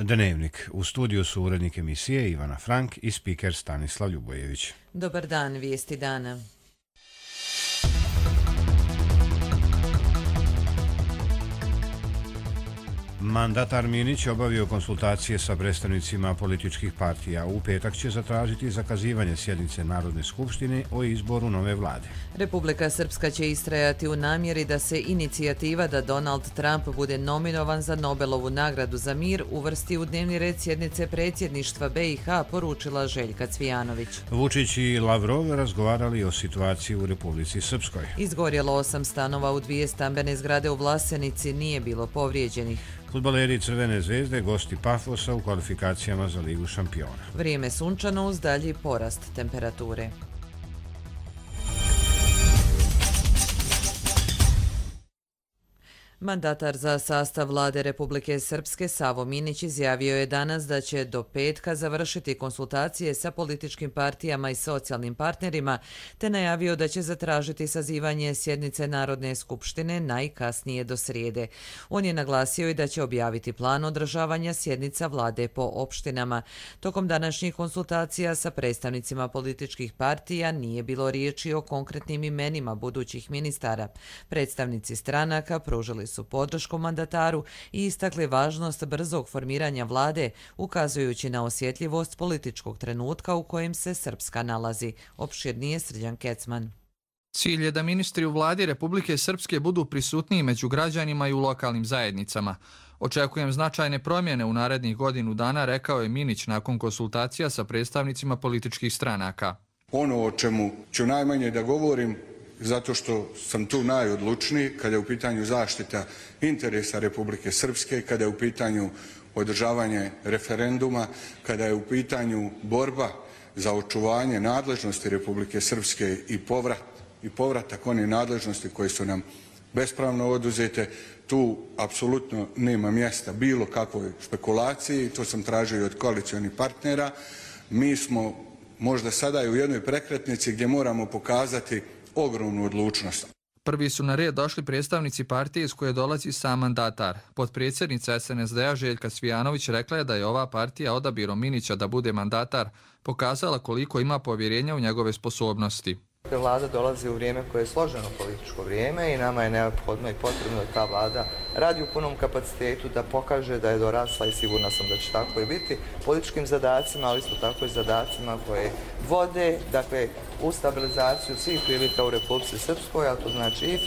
Dnevnik. U studiju su urednik emisije Ivana Frank i spiker Stanislav Ljubojević. Dobar dan, vijesti dana. Mandatar Minić obavio konsultacije sa predstavnicima političkih partija. U petak će zatražiti zakazivanje sjednice Narodne skupštine o izboru nove vlade. Republika Srpska će istrajati u namjeri da se inicijativa da Donald Trump bude nominovan za Nobelovu nagradu za mir uvrsti u dnevni red sjednice predsjedništva BiH, poručila Željka Cvijanović. Vučić i Lavrov razgovarali o situaciji u Republici Srpskoj. Izgorjelo 8 stanova u 2 stambene zgrade u Vlasenici, nije bilo povrijeđenih. Fudbaleri Crvene zvezde gosti Pafosa u kvalifikacijama za Ligu šampiona. Vrijeme sunčano uz dalji porast temperature. Mandatar za sastav vlade Republike Srpske Savo Minić izjavio je danas da će do petka završiti konsultacije sa političkim partijama i socijalnim partnerima, te najavio da će zatražiti sazivanje sjednice Narodne skupštine najkasnije do srijede. On je naglasio i da će objaviti plan održavanja sjednica vlade po opštinama. Tokom današnjih konsultacija sa predstavnicima političkih partija nije bilo riječi o konkretnim imenima budućih ministara. Predstavnici stranaka pružili su podršku mandataru i istakli važnost brzog formiranja vlade, ukazujući na osjetljivost političkog trenutka u kojem se Srpska nalazi. Opširnije Srđan Kecman. Cilj je da ministri u vladi Republike Srpske budu prisutniji među građanima i u lokalnim zajednicama. Očekujem značajne promjene u narednih godinu dana, rekao je Minić nakon konsultacija sa predstavnicima političkih stranaka. Ono o čemu ću najmanje da govorim, zato što sam tu najodlučniji kada je u pitanju zaštita interesa Republike Srpske, kada je u pitanju održavanje referenduma, kada je u pitanju borba za očuvanje nadležnosti Republike Srpske i povratak one nadležnosti koje su nam bespravno oduzete. Tu apsolutno nema mjesta bilo kakvoj špekulaciji, to sam tražio i od koalicionih partnera. Mi smo možda sada i u jednoj prekretnici gdje moramo pokazati ogromnu odlučnost. Prvi su na red došli predstavnici partije iz koje dolazi sam mandatar. Potpredsjednica SNSD-a Željka Cvijanović rekla je da je ova partija odabirom Minića da bude mandatar pokazala koliko ima povjerenja u njegove sposobnosti. Vlada dolazi u vrijeme koje je složeno političko vrijeme i nama je neophodno i potrebno da ta vlada radi u punom kapacitetu, da pokaže da je dorasla i sigurna sam da će tako i biti političkim zadacima, ali isto tako i zadacima koje vode, dakle, u stabilizaciju svih prilika u Republici Srpskoj, a to znači i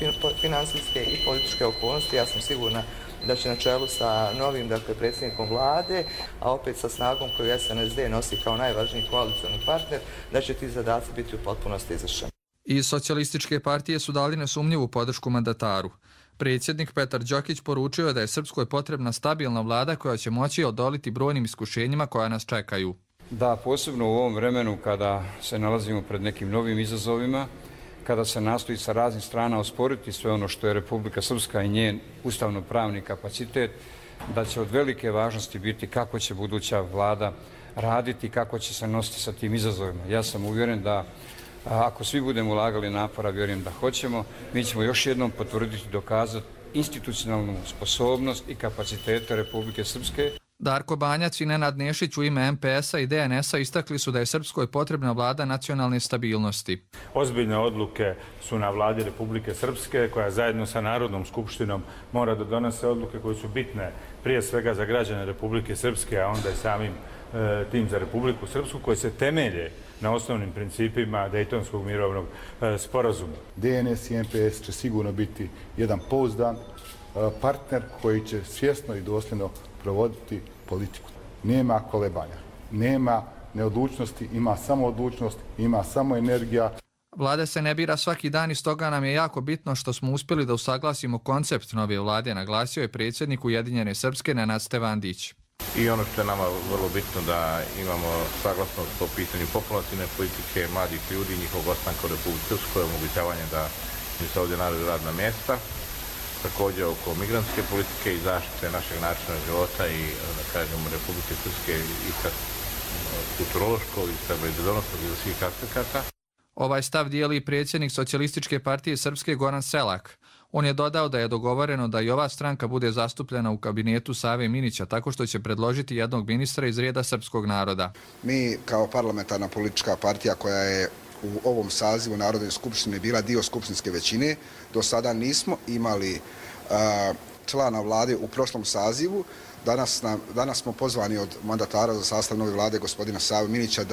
finansijske i političke okolnosti. Ja sam sigurna da će na čelu sa novim predsjednikom vlade, a opet sa snagom koju SNSD nosi kao najvažniji koalicioni partner, da će ti zadaci biti u potpunosti izvršeni. Iz socijalističke partije su dali nesumnjivu podršku mandataru. Predsjednik Petar Đokić poručio je da je Srpskoj potrebna stabilna vlada koja će moći odoliti brojnim iskušenjima koja nas čekaju. Da, posebno u ovom vremenu kada se nalazimo pred nekim novim izazovima, kada se nastoji sa raznih strana osporiti sve ono što je Republika Srpska i njen ustavno-pravni kapacitet, da će od velike važnosti biti kako će buduća vlada raditi, kako će se nositi sa tim izazovima. Ja sam uvjeren da ako svi budemo ulagali napora, vjerujem da hoćemo, mi ćemo još jednom potvrditi i dokazati institucionalnu sposobnost i kapacitete Republike Srpske. Darko Banjac i Nenad Nešić u ime MPS-a i DNS-a istakli su da je Srpskoj potrebna vlada nacionalne stabilnosti. Ozbiljne odluke su na vladi Republike Srpske koja zajedno sa Narodnom skupštinom mora da donese odluke koje su bitne prije svega za građane Republike Srpske, a onda i samim tim za Republiku Srpsku, koje se temelje na osnovnim principima Dejtonskog mirovnog sporazuma. DNS i MPS će sigurno biti jedan pouzdan partner koji će svjesno i dosljedno provoditi politiku. Nema kolebanja, nema neodlučnosti, ima samo odlučnost, ima samo energija. Vlada se ne bira svaki dan i stoga nam je jako bitno što smo uspjeli da usaglasimo koncept nove vlade, naglasio je predsjednik Ujedinjene Srpske Nenad Stevandić. I ono što je nama vrlo bitno da imamo saglasnost po pitanju populativne politike, mladih ljudi, njihovog ostanka u Republici Srpskoj, omogućavanje da im se ovdje nađu radna mjesta. Također oko migrantske politike i zaštite našeg načina života i, da kažemo, Republike Srpske i sa kulturološkog i sa bezbednosnog i svih aspekata. Ovaj stav dijeli i predsjednik Socijalističke partije Srpske Goran Selak. On je dodao da je dogovoreno da i ova stranka bude zastupljena u kabinetu Save Minića tako što će predložiti jednog ministra iz reda srpskog naroda. Mi kao parlamentarna politička partija koja je u ovom sazivu Narodne skupštine bila dio skupštinske većine, do sada nismo imali člana vlade u prošlom sazivu. Danas smo pozvani od mandatara za sastav nove vlade gospodina Save Minića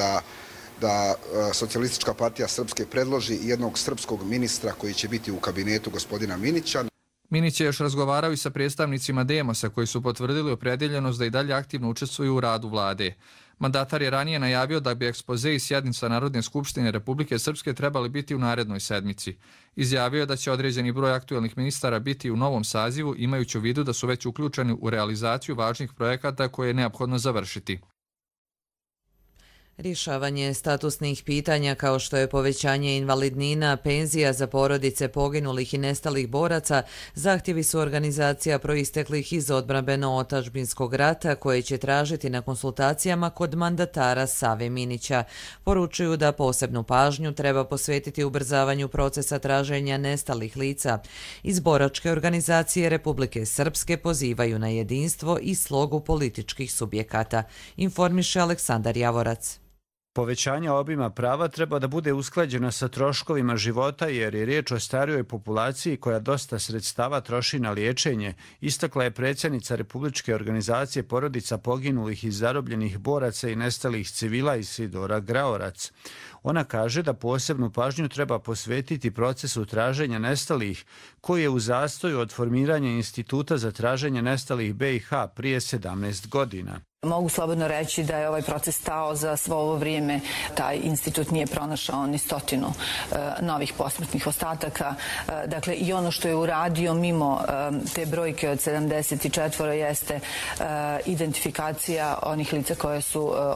da Socijalistička partija Srpske predloži jednog srpskog ministra koji će biti u kabinetu gospodina Minića. Minić je još razgovarao i sa predstavnicima Demosa koji su potvrdili opredeljenost da i dalje aktivno učestvuju u radu vlade. Mandatar je ranije najavio da bi ekspoze i sjednica Narodne skupštine Republike Srpske trebali biti u narednoj sedmici. Izjavio je da će određeni broj aktuelnih ministara biti u novom sazivu, imajući u vidu da su već uključeni u realizaciju važnih projekata koje je neophodno završiti. Rješavanje statusnih pitanja kao što je povećanje invalidnina, penzija za porodice poginulih i nestalih boraca zahtjevi su organizacija proisteklih iz odbrambeno-otadžbinskog rata koje će tražiti na konsultacijama kod mandatara Save Minića. Poručuju da posebnu pažnju treba posvetiti ubrzavanju procesa traženja nestalih lica. Iz boračke organizacije Republike Srpske pozivaju na jedinstvo i slogu političkih subjekata, informiše Aleksandar Javorac. Povećanje obima prava treba da bude usklađeno sa troškovima života jer je riječ o starijoj populaciji koja dosta sredstava troši na liječenje, istakla je predsjednica Republičke organizacije porodica poginulih i zarobljenih boraca i nestalih civila Isidora Graorac. Ona kaže da posebnu pažnju treba posvetiti procesu traženja nestalih, koji je u zastoju od formiranja Instituta za traženje nestalih BiH prije 17 godina. Mogu slobodno reći da je ovaj proces stao za svo ovo vrijeme. Taj institut nije pronašao ni 100 novih posmrtnih ostataka. Dakle, i ono što je uradio mimo te brojke od 74 jeste identifikacija onih lica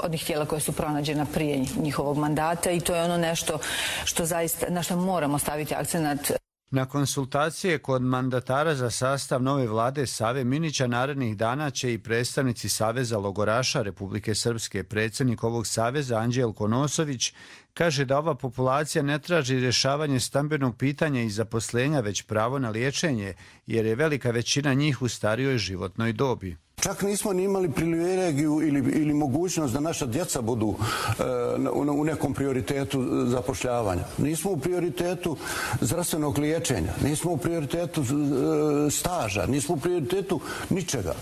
onih tijela koje su pronađena prije njihovog mandata i to je ono nešto što zaista, na što moramo staviti akcenat. Na konsultacije kod mandatara za sastav nove vlade Save Minića narednih dana će i predstavnici Saveza logoraša Republike Srpske. Predsjednik ovog saveza Anđelko Nosović kaže da ova populacija ne traži rješavanje stambenog pitanja i zaposlenja, već pravo na liječenje, jer je velika većina njih u starijoj životnoj dobi. Čak nismo ni imali privilegiju ili mogućnost da naša djeca budu u nekom prioritetu zapošljavanja. Nismo u prioritetu zdravstvenog liječenja, nismo u prioritetu staža, nismo u prioritetu ničega.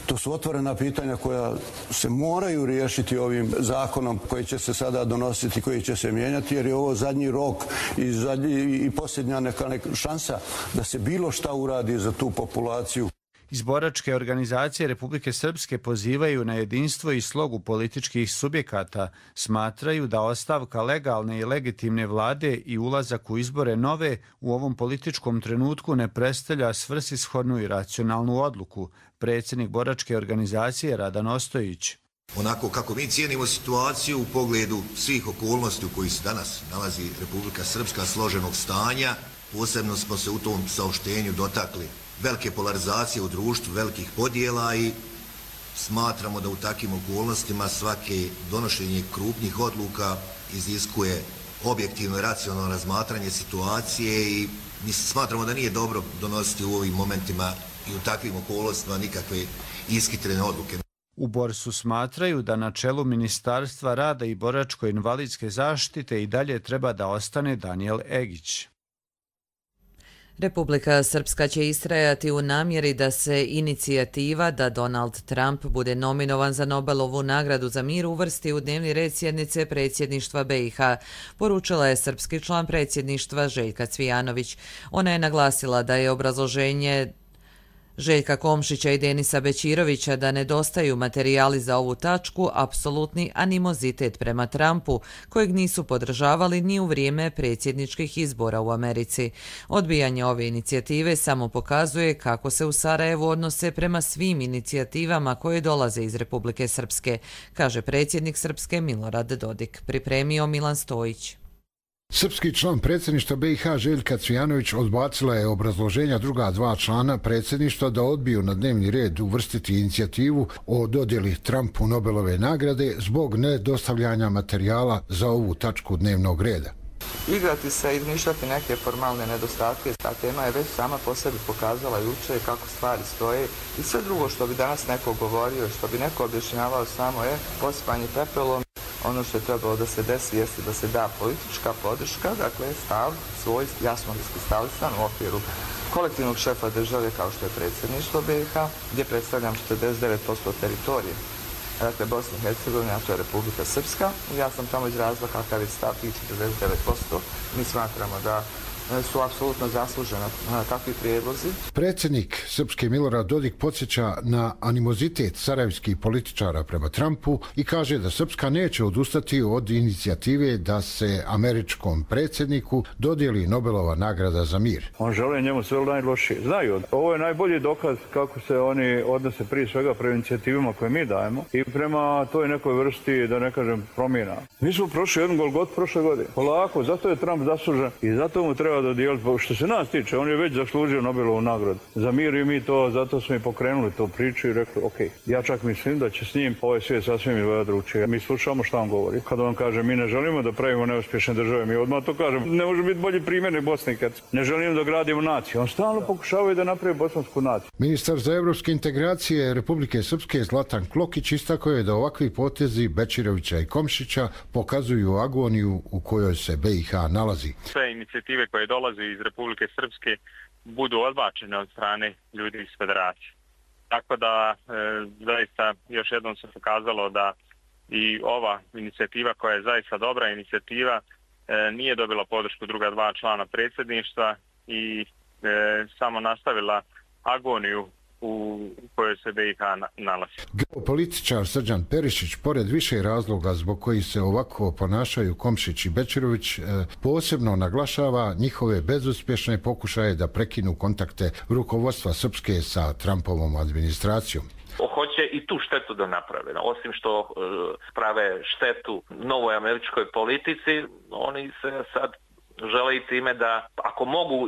To su otvorena pitanja koja se moraju riješiti ovim zakonom koji će se sada donositi, koji će se mijenjati, jer je ovo zadnji rok i posljednja neka šansa da se bilo šta uradi za tu populaciju. Iz boračke organizacije Republike Srpske pozivaju na jedinstvo i slogu političkih subjekata. Smatraju da ostavka legalne i legitimne vlade i ulazak u izbore nove u ovom političkom trenutku ne predstavlja svrsishodnu i racionalnu odluku. Predsjednik boračke organizacije Radan Ostojić. Onako kako mi cijenimo situaciju u pogledu svih okolnosti u kojih se danas nalazi Republika Srpska, složenog stanja, posebno smo se u tom saopštenju dotakli velike polarizacije u društvu, velikih podjela i smatramo da u takvim okolnostima svake donošenje krupnih odluka iziskuje objektivno i racionalno razmatranje situacije i mi smatramo da nije dobro donositi u ovim momentima i u takvim okolnostima nikakve ishitrene odluke. U Borsu smatraju da na čelu Ministarstva rada i boračko-invalidske zaštite i dalje treba da ostane Danijel Egić. Republika Srpska će istrajati u namjeri da se inicijativa da Donald Trump bude nominovan za Nobelovu nagradu za mir uvrsti u dnevni red sjednice predsjedništva BiH, poručila je srpski član predsjedništva Željka Cvijanović. Ona je naglasila da je obrazloženje Željka Komšića i Denisa Bećirovića da nedostaju materijali za ovu tačku apsolutni animozitet prema Trumpu, kojeg nisu podržavali ni u vrijeme predsjedničkih izbora u Americi. Odbijanje ove inicijative samo pokazuje kako se u Sarajevu odnose prema svim inicijativama koje dolaze iz Republike Srpske, kaže predsjednik Srpske Milorad Dodik. Pripremio Milan Stojić. Srpski član predsjedništva BiH Željka Cvijanović odbacila je obrazloženja druga dva člana predsjedništva da odbiju na dnevni red uvrstiti inicijativu o dodjeli Trumpu Nobelove nagrade zbog nedostavljanja materijala za ovu tačku dnevnog reda. igrati se i izmišljati neke formalne nedostatke. Ta tema je već sama po sebi pokazala juče kako stvari stoje i sve drugo što bi danas neko govorio, što bi neko objašnjavao samo je posipanje pepelom. Ono što je trebalo da se desi jeste da se da politička podrška, dakle stav svoj jasno iskristalisan u okviru kolektivnog šefa države kao što je predsjedništvo BiH, gdje predstavljam 49% teritorije. Dakle, Bosna i Hercegovina, a to je Republika Srpska. Ja sam tamo izrazila kakav je stav tih 49%. Mi smatramo da su apsolutno zasluženi takvi prijedlozi. Predsjednik Srpske Milorad Dodik podsjeća na animozitet sarajevskih političara prema Trumpu i kaže da Srpska neće odustati od inicijative da se američkom predsjedniku dodijeli Nobelova nagrada za mir. On žele njemu sve najlošije. Znaju, ovo je najbolji dokaz kako se oni odnose prije svega prema inicijativama koje mi dajemo i prema toj nekoj vrsti, da ne kažem, promjena. Mi smo prošli jedan Golgot prošle godine. Polako, zato je Trump zaslužen i zato mu treba dodijeliti. Što se nas tiče, on je već zaslužio Nobelovu nagradu za mir i mi to, zato smo i pokrenuli tu priču i rekli, ok, ja čak mislim da će s njim ovaj svijet sasvim izgleda drugčije. Mi slušamo šta on govori. Kada on kaže, mi ne želimo da pravimo neuspješne države, mi odmah to kažemo, ne može biti bolji primjer nego Bosna i Hercegovina. Ne želimo da gradimo naciju. On stalno pokušava da napravi bosansku naciju. Ministar za evropske integracije Republike Srpske Zlatan Klokić istakao je da ovakvi potezi Bečirovića i Komšića pokazuju agoniju u kojoj se BiH nalazi. Sve inicijative koje dolaze iz Republike Srpske budu odbačene od strane ljudi iz federacije. Tako da zaista još jednom se pokazalo da i ova inicijativa koja je zaista dobra inicijativa nije dobila podršku druga dva člana predsjedništva i samo nastavila agoniju u kojoj se BiH nalazi. Geopolitičar Srđan Perišić, pored više razloga zbog kojih se ovako ponašaju Komšić i Bečirović, posebno naglašava njihove bezuspješne pokušaje da prekinu kontakte rukovodstva Srpske sa Trumpovom administracijom. Hoće i tu štetu da naprave. Osim što prave štetu novoj američkoj politici, oni se sad žele i time da, ako mogu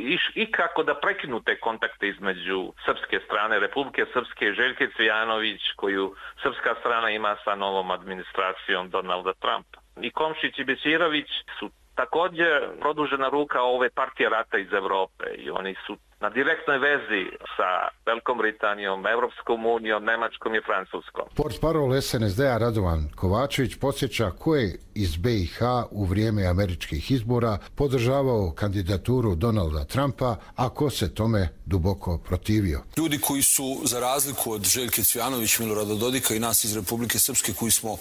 i kako da prekinu te kontakte između srpske strane, Republike Srpske, Željke Cvijanović, koju srpska strana ima sa novom administracijom Donalda Trumpa. I Komšić i Bečirović su također produžena ruka ove partije rata iz Evrope i oni su na direktnoj vezi sa Velikom Britanijom, Evropskom unijom, Nemačkom i Francuskom. Portparol SNSD-a Radovan Kovačević podsjeća ko je iz BiH u vrijeme američkih izbora podržavao kandidaturu Donalda Trumpa, a ko se tome duboko protivio. Ljudi koji su, za razliku od Željke Cvijanović, Milorada Dodika i nas iz Republike Srpske koji smo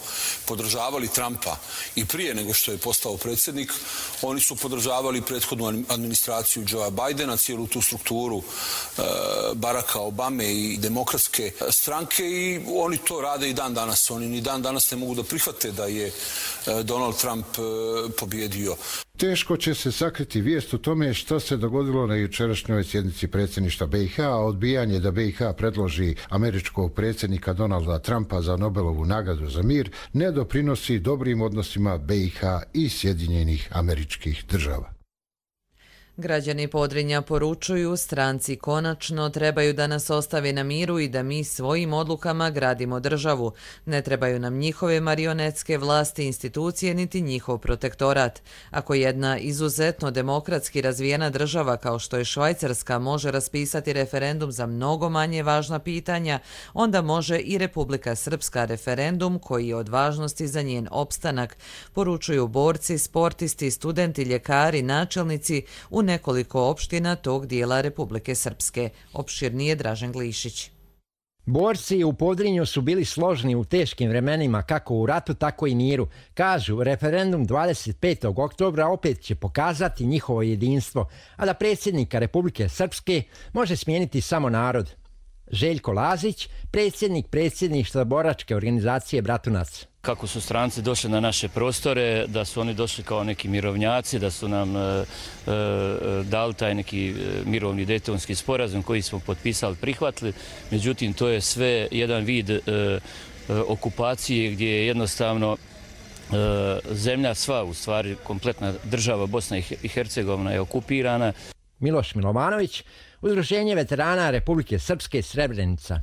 podržavali Trumpa i prije nego što je postao predsjednik, oni su podržavali prethodnu administraciju Joea Bidena, cijelu tu strukturu Baracka Obame i demokratske stranke i oni to rade i dan danas. Oni ni dan danas ne mogu da prihvate da je Donald Trump pobjedio. Teško će se sakriti vijest o tome što se dogodilo na jučerašnjoj sjednici predsjedništva BiH, a odbijanje da BiH predloži američkog predsjednika Donalda Trumpa za Nobelovu nagradu za mir ne doprinosi dobrim odnosima BiH i Sjedinjenih Američkih Država. Građani Podrinja poručuju, stranci konačno trebaju da nas ostavi na miru i da mi svojim odlukama gradimo državu. Ne trebaju nam njihove marionetske vlasti, institucije, niti njihov protektorat. Ako jedna izuzetno demokratski razvijena država kao što je Švajcarska može raspisati referendum za mnogo manje važna pitanja, onda može i Republika Srpska referendum koji je od važnosti za njen opstanak, poručuju borci, sportisti, studenti, ljekari, načelnici u nekoliko opština tog dijela Republike Srpske. Opširnije Dražen Glišić. Borci u Podrinju su bili složni u teškim vremenima, kako u ratu, tako i miru. Kažu, referendum 25. oktobra opet će pokazati njihovo jedinstvo, a da predsjednika Republike Srpske može smijeniti samo narod. Željko Lazić, predsjednik predsjedništva boračke organizacije Bratunac. Kako su stranci došli na naše prostore, da su oni došli kao neki mirovnjaci, da su nam dali taj neki mirovni dejtonski sporazum koji smo potpisali, prihvatili. Međutim, to je sve jedan vid okupacije gdje je jednostavno zemlja sva, u stvari kompletna država Bosna i Hercegovina je okupirana. Miloš Milovanović, Udruženje veterana Republike Srpske Srebrenica.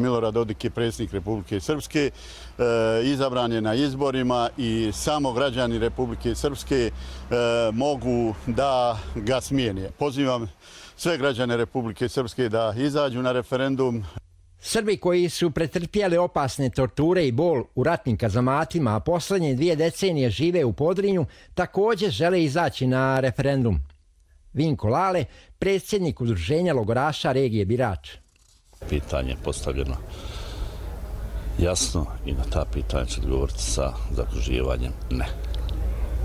Milorad Dodik je predsjednik Republike Srpske, izabran je na izborima i samo građani Republike Srpske mogu da ga smijene. Pozivam sve građane Republike Srpske da izađu na referendum. Srbi koji su pretrpjeli opasne torture i bol u ratnim kazamatima, a posljednje 2 decenije žive u Podrinju, također žele izaći na referendum. Vinko Lale, predsjednik Udruženja logoraša regije Birač. Pitanje je postavljeno jasno i na ta pitanja će odgovoriti sa zakruživanjem ne.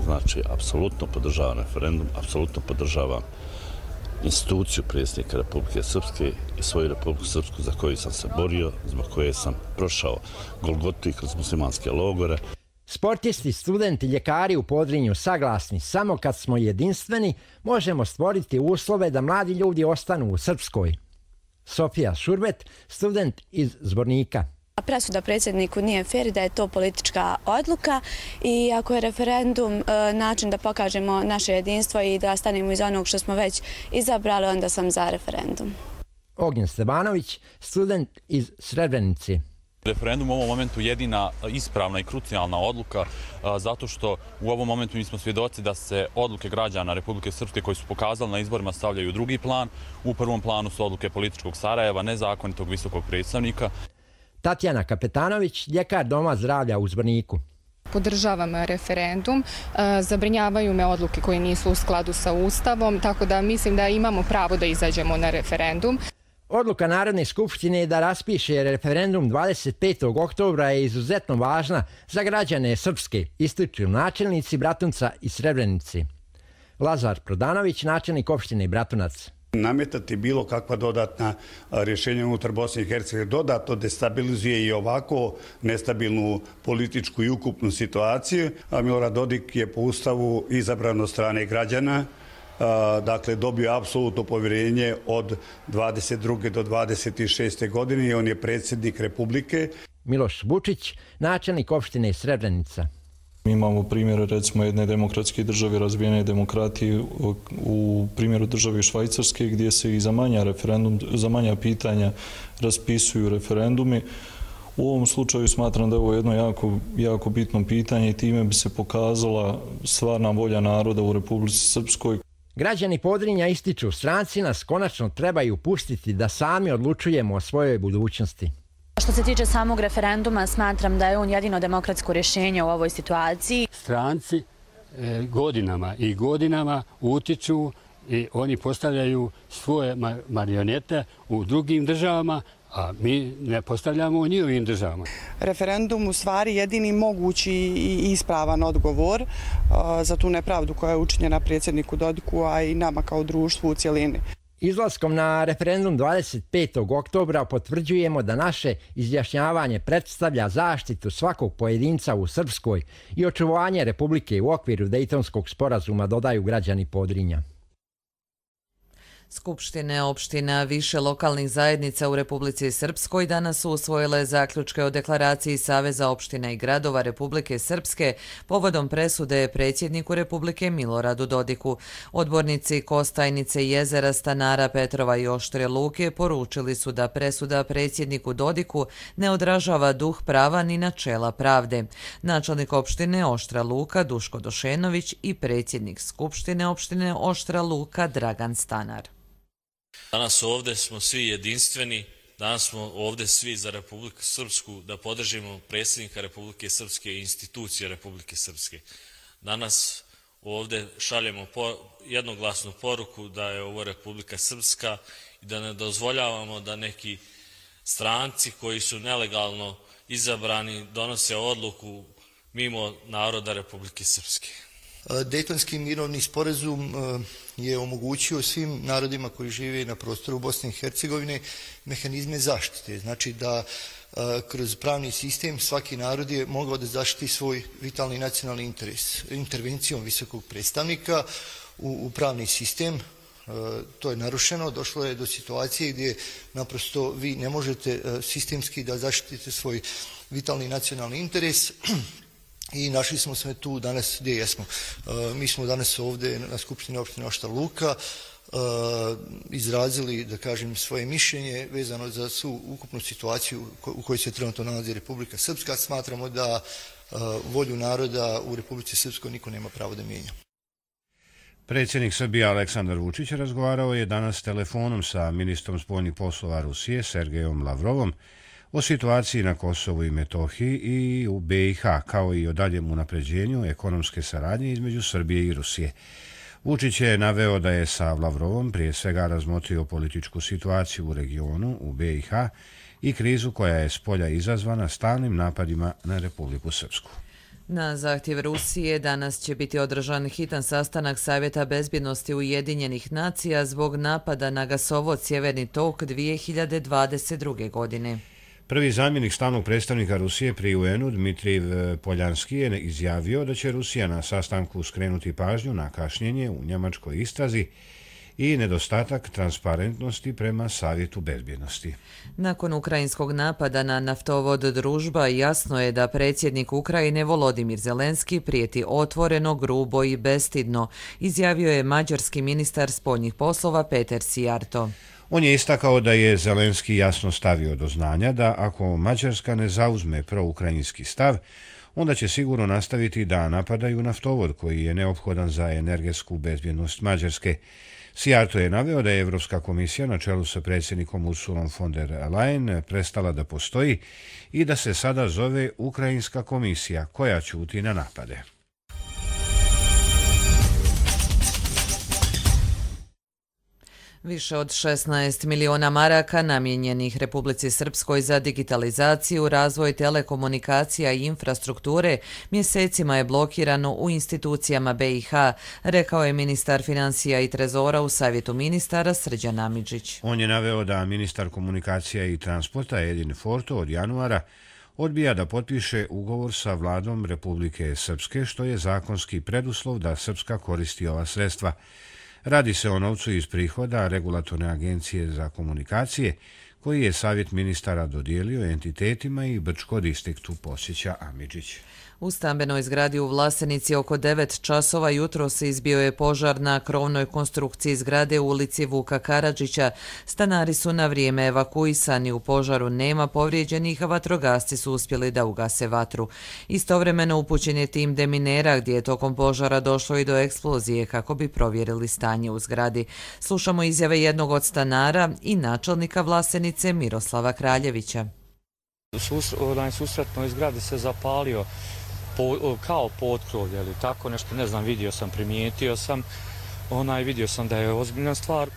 Znači, apsolutno podržavam referendum, apsolutno podržavam instituciju predsjednika Republike Srpske i svoju Republiku Srpsku za koju sam se borio, zbog koje sam prošao Golgotu i kroz muslimanske logore. Sportisti, studenti, ljekari u Podrinju saglasni, samo kad smo jedinstveni možemo stvoriti uslove da mladi ljudi ostanu u Srpskoj. Sofija Šurbet, student iz Zvornika. Presuda predsjedniku nije fer, da je to politička odluka i ako je referendum način da pokažemo naše jedinstvo i da stanemo iz onog što smo već izabrali, onda sam za referendum. Ognjen Stevanović, student iz Srebrenice. Referendum u ovom momentu jedina ispravna i krucijalna odluka zato što u ovom momentu mi smo svjedoci da se odluke građana Republike Srpske koji su pokazali na izborima stavljaju u drugi plan. U prvom planu su odluke političkog Sarajeva, nezakonitog visokog predstavnika. Tatjana Kapetanović, ljekar Doma zdravlja u Zvorniku. Podržavam referendum, zabrinjavaju me odluke koje nisu u skladu sa Ustavom, tako da mislim da imamo pravo da izađemo na referendum. Odluka Narodne skupštine da raspiše referendum 25. oktobra je izuzetno važna za građane Srpske, ističu načelnici Bratunca i Srebrenice. Lazar Prodanović, načelnik opštine Bratunac. Nametati bilo kakva dodatna rješenja unutar Bosne i Hercegovine dodatno destabilizuje i ovako nestabilnu političku i ukupnu situaciju. Milorad Dodik je po Ustavu izabran od strane građana, dakle dobio apsolutno povjerenje od 22. do 26. godine i on je predsjednik Republike. Miloš Vučić, načelnik opštine Srebrenica. Mi imamo primjer recimo jedne demokratske države, razvijene demokratije u primjeru države Švajcarske gdje se i za manja pitanja raspisuju referendumi. U ovom slučaju smatram da je ovo jedno jako bitno pitanje i time bi se pokazala stvarna volja naroda u Republici Srpskoj. Građani Podrinja ističu, stranci nas konačno trebaju pustiti da sami odlučujemo o svojoj budućnosti. Što se tiče samog referenduma, smatram da je on jedino demokratsko rješenje u ovoj situaciji. Stranci godinama i godinama utiču i oni postavljaju svoje marionete u drugim državama, a mi ne postavljamo u njihovim državama. Referendum u stvari jedini mogući i ispravan odgovor za tu nepravdu koja je učinjena predsjedniku Dodiku, a i nama kao društvu u cjelini. Izlaskom na referendum 25. oktobra potvrđujemo da naše izjašnjavanje predstavlja zaštitu svakog pojedinca u Srpskoj i očuvanje Republike u okviru Dejtonskog sporazuma, dodaju građani Podrinja. Skupštine opština više lokalnih zajednica u Republici Srpskoj danas su usvojile zaključke o deklaraciji Saveza opština i gradova Republike Srpske povodom presude predsjedniku Republike Miloradu Dodiku. Odbornici Kostajnice, Jezera, Stanara, Petrova i Oštre Luke poručili su da presuda predsjedniku Dodiku ne odražava duh prava ni načela pravde. Načelnik opštine Oštra Luka Duško Došenović i predsjednik Skupštine opštine Oštra Luka Dragan Stanar. Danas ovdje smo svi jedinstveni, danas smo ovdje svi za Republiku Srpsku da podržimo predsjednika Republike Srpske i institucije Republike Srpske. Danas ovdje šaljemo jednoglasnu poruku da je ovo Republika Srpska i da ne dozvoljavamo da neki stranci koji su nelegalno izabrani donose odluku mimo naroda Republike Srpske. Dejtonski mirovni sporazum je omogućio svim narodima koji žive na prostoru Bosne i Hercegovine mehanizme zaštite. Znači da kroz pravni sistem svaki narod je mogao da zaštiti svoj vitalni nacionalni interes. Intervencijom visokog predstavnika u pravni sistem to je narušeno, došlo je do situacije gdje naprosto vi ne možete sistemski da zaštitite svoj vitalni nacionalni interes. I našli smo se tu danas gdje jesmo. Mi smo danas ovdje na Skupštini opštine Oštra Luka izrazili, da kažem, svoje mišljenje vezano za svu ukupnu situaciju u kojoj se trenutno nalazi Republika Srpska. Smatramo da volju naroda u Republici Srpskoj niko nema pravo da mijenja. Predsjednik Srbije Aleksandar Vučić razgovarao je danas telefonom sa ministrom spoljnih poslova Rusije Sergejom Lavrovom o situaciji na Kosovu i Metohiji i u BiH, kao i o daljem unapređenju ekonomske saradnje između Srbije i Rusije. Vučić je naveo da je sa Lavrovom prije svega razmotrio političku situaciju u regionu, u BiH, i krizu koja je s polja izazvana stalnim napadima na Republiku Srpsku. Na zahtjev Rusije danas će biti održan hitan sastanak Savjeta bezbjednosti Ujedinjenih nacija zbog napada na gasovod Sjeverni tok 2022. godine. Prvi zamjenik stalnog predstavnika Rusije pri UN-u Dmitrij Poljanski je izjavio da će Rusija na sastanku skrenuti pažnju na kašnjenje u njemačkoj istrazi i nedostatak transparentnosti prema Savjetu bezbjednosti. Nakon ukrajinskog napada na naftovod Družba, jasno je da predsjednik Ukrajine Volodimir Zelenski prijeti otvoreno, grubo i bestidno, izjavio je mađarski ministar spoljnih poslova Peter Sijarto. On je istakao da je Zelenski jasno stavio do znanja da ako Mađarska ne zauzme proukrajinski stav, onda će sigurno nastaviti da napadaju naftovod koji je neophodan za energetsku bezbjednost Mađarske. Sijarto je naveo da je Evropska komisija na čelu sa predsjednikom Ursulom von der Leyen prestala da postoji i da se sada zove Ukrajinska komisija koja ćuti na napade. Više od 16 miliona maraka namijenjenih Republici Srpskoj za digitalizaciju, razvoj telekomunikacija i infrastrukture mjesecima je blokirano u institucijama BiH, rekao je ministar financija i trezora u Savjetu ministara Srđan Amidžić. On je naveo da ministar komunikacija i transporta Edin Forto od januara odbija da potpiše ugovor sa vladom Republike Srpske, što je zakonski preduslov da Srpska koristi ova sredstva. Radi se o novcu iz prihoda Regulatorne agencije za komunikacije, koji je Savjet ministara dodijelio entitetima i Brčko distriktu, posjeća Amidžić. U stambenoj zgradi u Vlasenici oko 9 časova jutros izbio je požar na krovnoj konstrukciji zgrade u ulici Vuka Karadžića. Stanari su na vrijeme evakuisani, u požaru nema povrijeđenih, a vatrogasci su uspjeli da ugase vatru. Istovremeno upućen je tim deminera gdje je tokom požara došlo i do eksplozije kako bi provjerili stanje u zgradi. Slušamo izjave jednog od stanara i načelnika Vlasenice Miroslava Kraljevića. U susretnoj zgradi se zapalio kao potkrovlje ili tako nešto, ne znam, primijetio sam, vidio sam da je ozbiljna stvar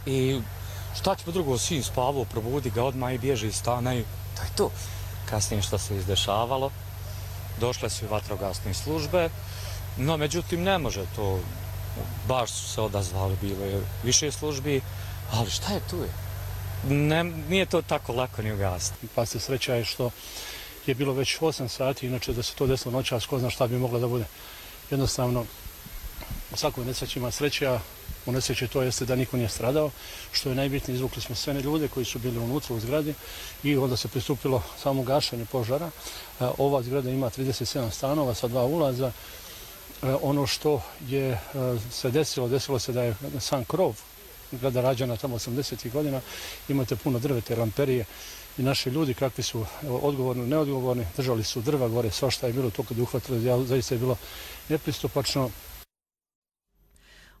i šta ćemo drugo, sin spavao, probudi ga odmah i bježi iz stana i to je to. Kasnije što se izdešavalo, došle su i vatrogasne službe, no međutim ne može to, baš su se odazvali, bilo je više službi, ali šta je tu je? Nije to tako lako ni ugasiti. Pa se sreća je što je bilo već 8 sati, inače da se to desilo noćas, ko zna šta bi moglo da bude. Jednostavno, u svakoj nesreći ima sreće, a u nesreći to jeste da niko nije stradao, što je najbitnije, izvukli smo sve ljude koji su bili unutra u zgradi i onda se pristupilo samo gašenju požara. Ova zgrada ima 37 stanova sa 2 ulaza. Ono što je se desilo se da je sam krov zgrada rađena tamo 80. godina, imate puno drvete, lamperije i naši ljudi kakvi su odgovorni, neodgovorni, držali su drva gore, svašta je bilo to kad je uhvatilo, zaista je bilo nepristupačno.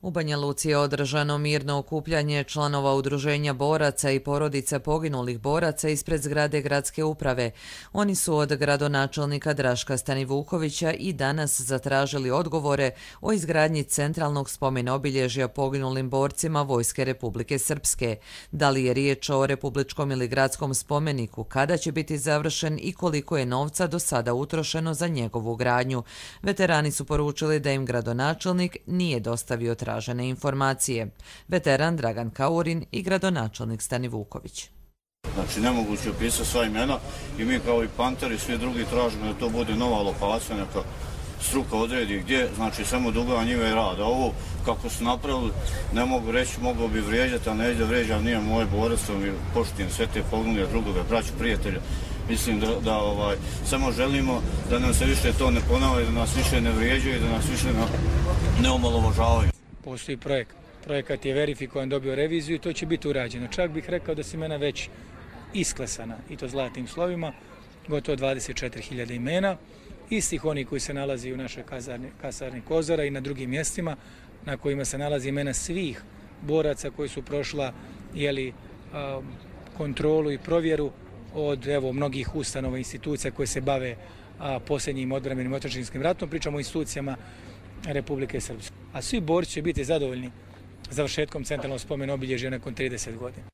U Banja Luci je održano mirno okupljanje članova udruženja boraca i porodica poginulih boraca ispred zgrade gradske uprave. Oni su od gradonačelnika Draška Stanivukovića i danas zatražili odgovore o izgradnji centralnog spomen obilježja poginulim borcima Vojske Republike Srpske. Da li je riječ o republičkom ili gradskom spomeniku, kada će biti završen i koliko je novca do sada utrošeno za njegovu gradnju. Veterani su poručili da im gradonačelnik nije dostavio tražene informacije. Veteran Dragan Kaurin i gradonačelnik Stanivuković. Znači, nemoguće opisati sva imena i mi kao i Panteri, svi drugi tražimo da to bude nova lokacija, neka struka odredi gdje, znači samo duga njive rada. Ovo kako su napravili, ne mogu reći, mogu bi vrijeđati, ali ne ide vrijeđam, nije moje borac, mi poštujem sve te poginule drugove, braću, prijatelja. Mislim da samo želimo da nam se više to ne ponavlja, da nas više ne vrijeđaju i da nas više ne omalovažavaju. Postoji projekt projekat je verifikovan, dobio reviziju i to će biti urađeno. Čak bih rekao da su imena već isklesana, i to zlatnim slovima, gotovo 24.000 imena, istih oni koji se nalazi u našoj kasarni Kozara i na drugim mjestima na kojima se nalazi imena svih boraca koji su prošla kontrolu i provjeru od mnogih ustanova i institucija koje se bave posljednjim odbrambenim otadžbinskim ratom, pričamo o institucijama Republike Srpske. A svi borci će biti zadovoljni završetkom centralnog spomena obilježja nakon 30 godina.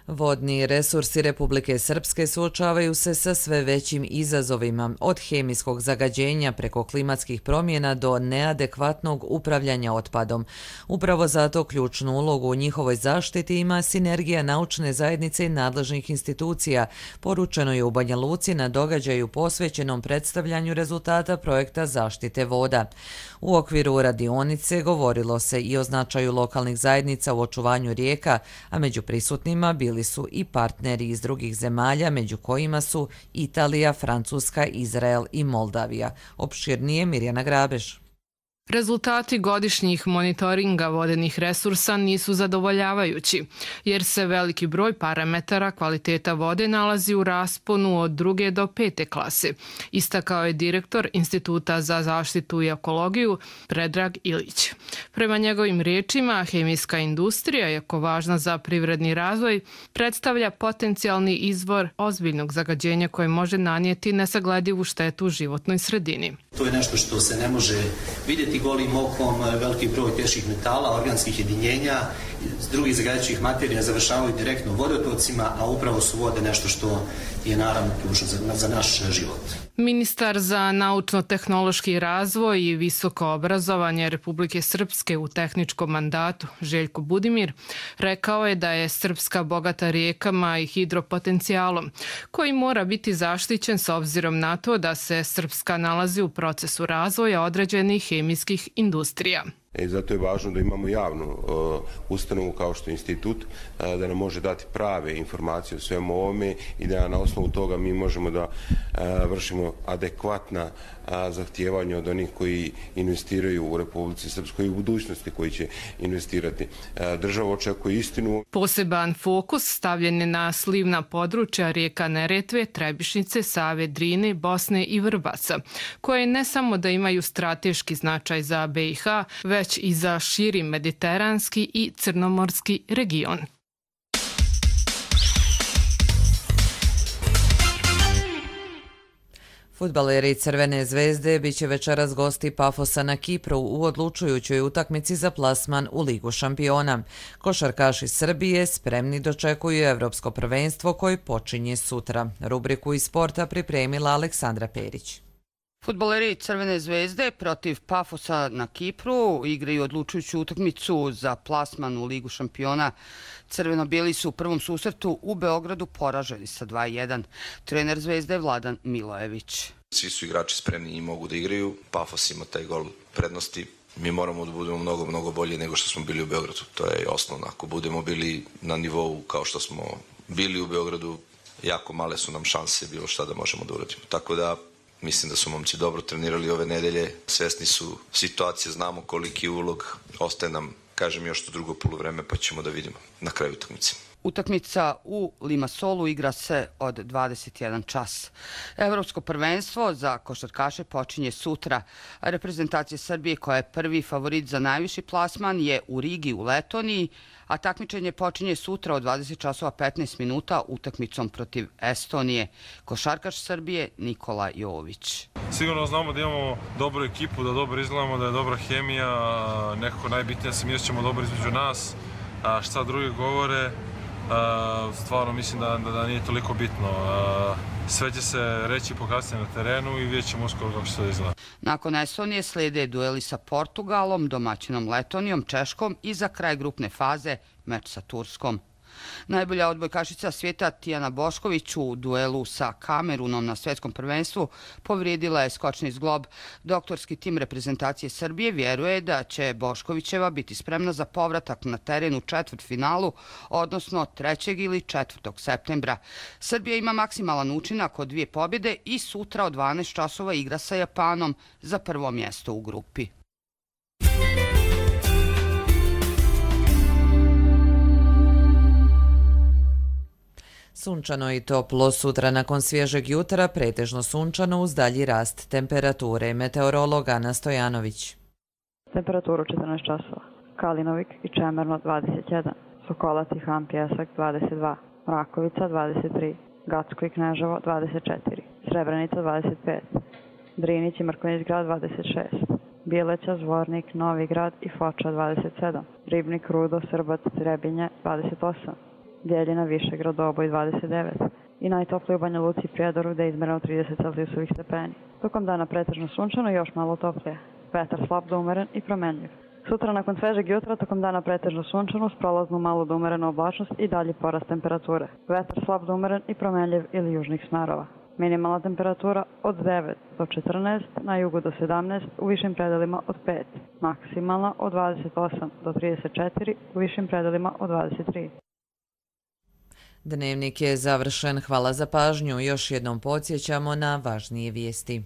Vodni resursi Republike Srpske suočavaju se sa sve većim izazovima, od hemijskog zagađenja preko klimatskih promjena do neadekvatnog upravljanja otpadom. Upravo zato ključnu ulogu u njihovoj zaštiti ima sinergija naučne zajednice i nadležnih institucija, poručeno je u Banja Luci na događaju posvećenom predstavljanju rezultata projekta zaštite voda. U okviru radionice govorilo se i o značaju lokalnih zajednica u očuvanju rijeka, a među prisutnima bili su i partneri iz drugih zemalja, među kojima su Italija, Francuska, Izrael i Moldavija. Opširnije Mirjana Grabež. Rezultati godišnjih monitoringa vodenih resursa nisu zadovoljavajući, jer se veliki broj parametara kvaliteta vode nalazi u rasponu od 2. do 5. klase, istakao je direktor Instituta za zaštitu i ekologiju Predrag Ilić. Prema njegovim riječima, hemijska industrija, iako važna za privredni razvoj, predstavlja potencijalni izvor ozbiljnog zagađenja koje može nanijeti nesagledivu štetu životnoj sredini. To je nešto što se ne može vidjeti golim okom, veliki broj teških metala, organskih jedinjenja, drugih zagađujućih materija završavaju direktno u vodotocima, a upravo su vode nešto što je naravno ključno za naš život. Ministar za naučno-tehnološki razvoj i visoko obrazovanje Republike Srpske u tehničkom mandatu, Željko Budimir, rekao je da je Srpska bogata rijekama i hidropotencijalom, koji mora biti zaštićen s obzirom na to da se Srpska nalazi u procesu razvoja određenih hemijskih industrija. Zato je važno da imamo javnu ustanovu kao što je institut, da nam može dati prave informacije o svemu ovome i da na osnovu toga mi možemo da vršimo adekvatna zahtijevanja od onih koji investiraju u Republici Srpskoj i u budućnosti koji će investirati. Država očekuje istinu. Poseban fokus stavljen je na slivna područja rijeka Neretve, Trebišnice, Save, Drine, Bosne i Vrbaca, koje ne samo da imaju strateški značaj za BiH, već i za širi mediteranski i crnomorski region. Fudbaleri Crvene zvezde biće večeras gosti Pafosa na Kipru u odlučujućoj utakmici za plasman u Ligu šampiona. Košarkaši Srbije spremni dočekuju Evropsko prvenstvo koje počinje sutra. Rubriku iz sporta pripremila Aleksandra Perić. Fudbaleri Crvene zvezde protiv Pafosa na Kipru igraju odlučujuću utakmicu za plasman u Ligu šampiona. Crveno-bijeli su u prvom susretu u Beogradu poraženi sa 2:1. Trener Zvezde je Vladan Milojević. Svi su igrači spremni i mogu da igraju. Pafos ima taj gol prednosti. Mi moramo da budemo mnogo bolji nego što smo bili u Beogradu. To je osnovno. Ako budemo bili na nivou kao što smo bili u Beogradu, jako male su nam šanse bilo šta da možemo da uradimo. Tako da mislim da su momci dobro trenirali ove nedelje, svesni su situacije, znamo koliki ulog, ostaje nam, kažem, još to drugo poluvreme pa ćemo da vidimo na kraju utakmice. Utakmica u Limassolu igra se od 21 čas. Evropsko prvenstvo za košarkaše počinje sutra. Reprezentacija Srbije, koja je prvi favorit za najviši plasman, je u Rigi u Letoniji, a takmičenje počinje sutra od 20 časova 15 minuta utakmicom protiv Estonije. Košarkaš Srbije Nikola Jović. Sigurno znamo da imamo dobru ekipu, da dobro izgledamo, da je dobra hemija, nekako najbitnije se mi osjećamo dobro između nas, a šta drugi govore, stvarno mislim da nije toliko bitno. Sve će se reći pokazati na terenu i vidjet ćemo uskoro kako će to izgleda. Nakon Estonije slijede dueli sa Portugalom, domaćinom Letonijom, Češkom i za kraj grupne faze meč sa Turskom. Najbolja odbojkašica svijeta Tijana Bošković u duelu sa Kamerunom na svjetskom prvenstvu povrijedila je skočni zglob. Doktorski tim reprezentacije Srbije vjeruje da će Boškovićeva biti spremna za povratak na teren u četvrtfinalu, odnosno 3. ili 4. septembra. Srbija ima maksimalan učinak od 2 pobjede i sutra od 12 časova igra sa Japanom za prvo mjesto u grupi. Sunčano i toplo, sutra nakon svježeg jutra pretežno sunčano uz dalji rast temperature. Meteorolog Ana Stojanović. Temperaturu 14 časova. Kalinovik i Čemerno 21, Sokolac i Han Pjesak 22, Rakovica 23, Gacko i Kneževo 24, Srebrenica 25, Drinić i Mrkonjić grad 26, Bileća, Zvornik, Novi grad i Foča 27, Ribnik, Rudo, Srbac, Trebinje 28, Bjeljina, Višegrad, Doboj 29 i najtoplije u Banja Luci i Prijedoru gde je izmereno 30 celzijusovih stepeni. Tokom dana pretežno sunčano i još malo toplije. Vetar slab do umeren i promenljiv. Sutra nakon svežeg jutra tokom dana pretežno sunčano uz prolaznu malu do umerenu oblačnost i dalji porast temperature. Vetar slab do umeren i promenljiv ili južnih smerova. Minimalna temperatura od 9 do 14, na jugu do 17, u višim predelima od 5. Maksimalna od 28 do 34, u višim predelima od 23. Dnevnik je završen. Hvala za pažnju. Još jednom podsjećamo na važnije vijesti.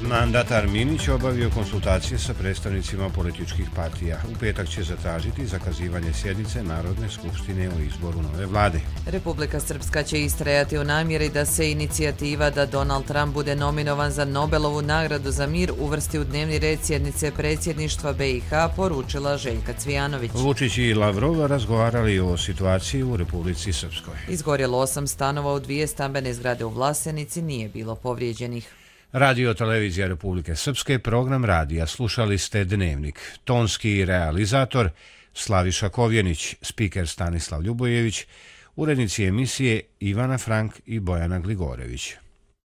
Mandatar Minić obavio konsultacije sa predstavnicima političkih partija. U petak će zatražiti zakazivanje sjednice Narodne skupštine o izboru nove vlade. Republika Srpska će istrajati u namjeri da se inicijativa da Donald Trump bude nominovan za Nobelovu nagradu za mir uvrsti u dnevni red sjednice predsjedništva BiH, poručila Željka Cvijanović. Vučić i Lavrov razgovarali o situaciji u Republici Srpskoj. Izgorjelo 8 stanova u 2 stambene zgrade u Vlasenici, nije bilo povrijeđenih. Radio Televizija Republike Srpske, program radija. Slušali ste Dnevnik. Tonski realizator Slaviša Kovjenić, spiker Stanislav Ljubojević, urednici emisije Ivana Frank i Bojana Gligorević.